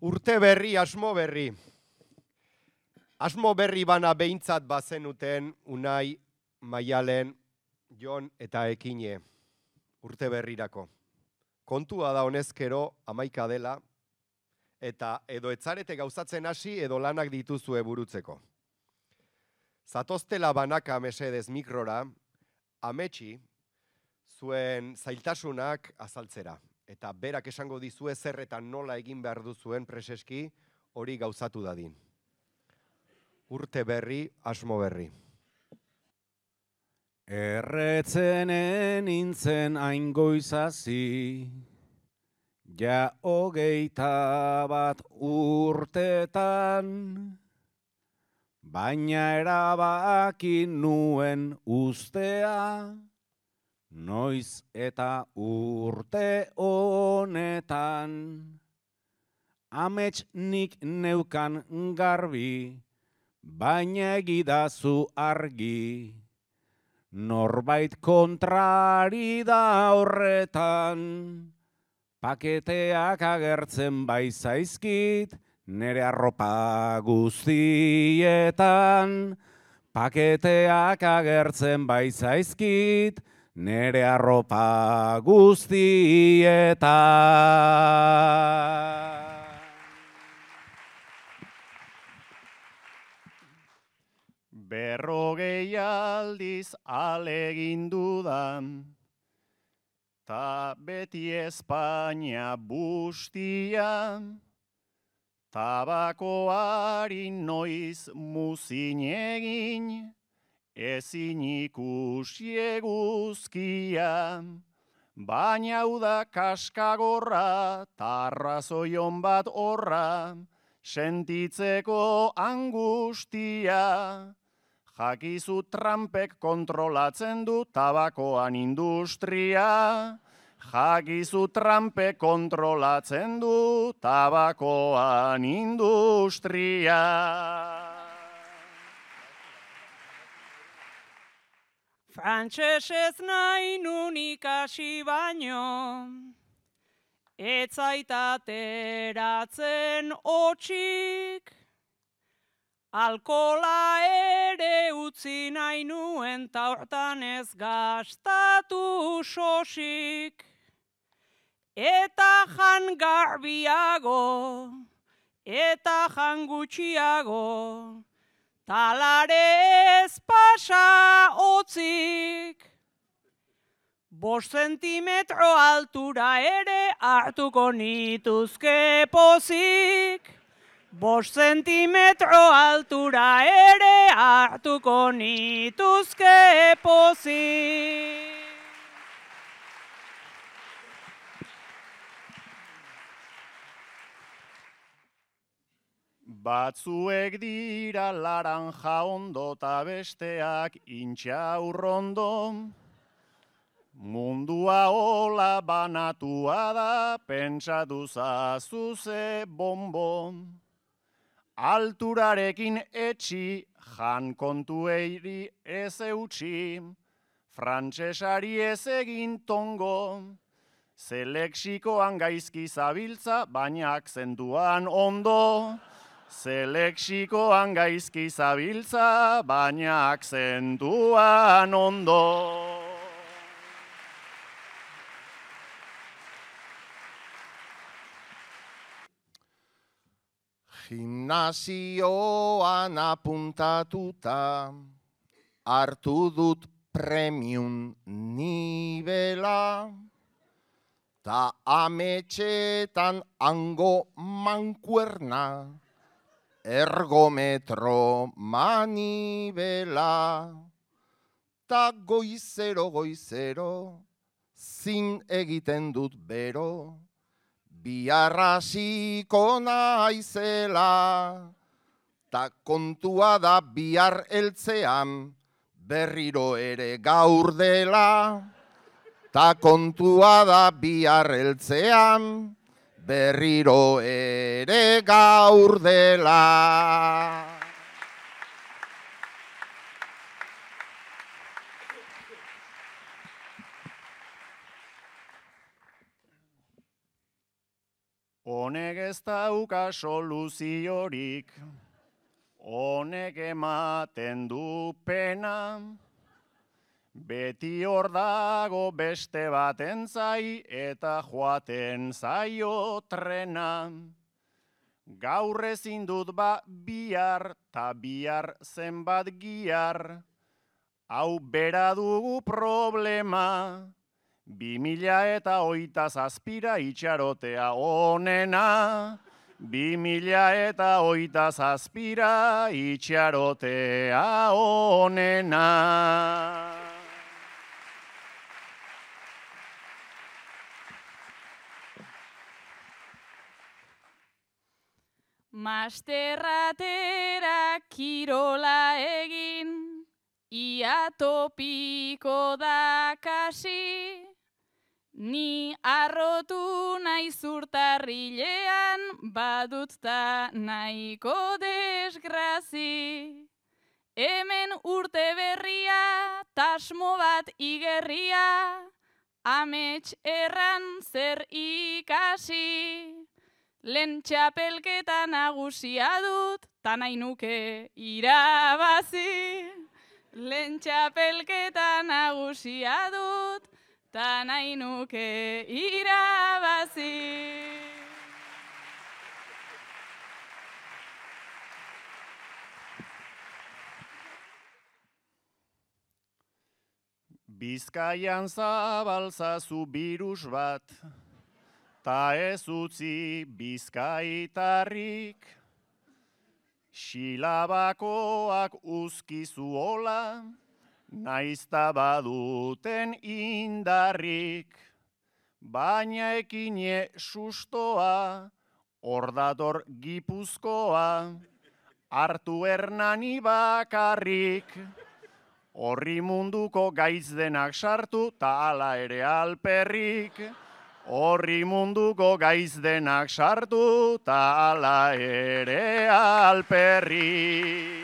Urte berri, asmo berri. Asmo berri bana behintzat bazenuten Unai, Maialen, Jon eta Ekine. Urte berrirako. Kontua da honezkero 11 dela, eta edo etzarete gauzatzen hasi edo lanak dituzue burutzeko. Zatoztela banaka mesedez mikrora, ametsi zuen zailtasunak azaltzera. Eta berak esango dizue zerretan nola egin behar duzuen preseski hori gauzatu dadin. Urte berri, asmo berri. Erretzenen nintzen hain goizazi, ja 21 urtetan, baina erabaki nuen ustea, noiz eta urte honetan. Amets nik neukan garbi, baina egidazu argi, norbait kontrari da horretan. Paketeak agertzen bai zaizkit, nere arropa guztietan. Paketeak agertzen bai zaizkit, nere arropa guztietan. Berrogei aldiz alegindu da, ta beti Espainia bustia, tabakoari noiz muzin egin, ezin ikusi eguzkia, baina hau da kaskagorra, tarrazoion bat horra, sentitzeko angustia. Jakizu Trumpek kontrolatzen du tabakoan industria. Jakizu Trumpek kontrolatzen du tabakoan industria. Frantsesez nahi nun ikasi baino, ez zaitateratzen hotxik, alkola ere utzi nahi nuen ta hortan ez gastatu sosik. Eta jan garbiago, eta jan gutxiago, talare ez pasa hotzik. 5 zentimetro altura ere hartuko nituzke pozik. 5 zentimetro altura ere hartuko nituzke pozik. Batzuek dira laranja ondo ta besteak intxaurrondo. Mundua hola banatua da, pentsatu zazu ze bonbon. Alturarekin etxi, jan kontueiri ez eutxi, frantsesari ez egin tongo. Ze lexikoan gaizki zabiltza, baina akzentuan ondo. Ze lexikoan gaizki zabiltza, baina akzentuan ondo. Gimnasioan apuntatuta, hartu dut premium nibela, ta ametxetan hango mankuerna, ergometro manibela, ta goizero, zin egiten dut bero, biarrasiko naizela, ta kontua da bihar heltzean, berriro ere gaur dela, ta kontua da bihar heltzean, berriro ere gaur dela. honek ez dauka soluziorik, honek ematen du pena, beti hor dago beste baten zai eta joaten zaio trena. Gaur ezin dut bihar, ta bihar zenbat gihar, hau bera dugu problema. 2027 itxarotea onena, 2027 itxarotea onena. Masterratera kirola egin, ia topiko da kasi, ni arrotu naiz urtarrilean, badut ta nahiko desgrazi. Hemen urte berria, tasmo bat igerria, amets erran zer ikasi. Lehen txapelketa nagusia dut, ta nahi nuke irabazi. Lehen txapelketa nagusia dut, ta nahi nuke irabazi. Bizkaian zabaltzazu birus bat, ta ez utzi bizkaitarrik, xilabakoak uzkizu hola, naizta baduten indarrik, baina ekine sustoa, hor dator Gipuzkoa, hartu Hernani bakarrik, horri munduko gaitz denak sartu, ta hala ere alperrik. Horri munduko gaiz denak sartu, ta hala ere alperrik.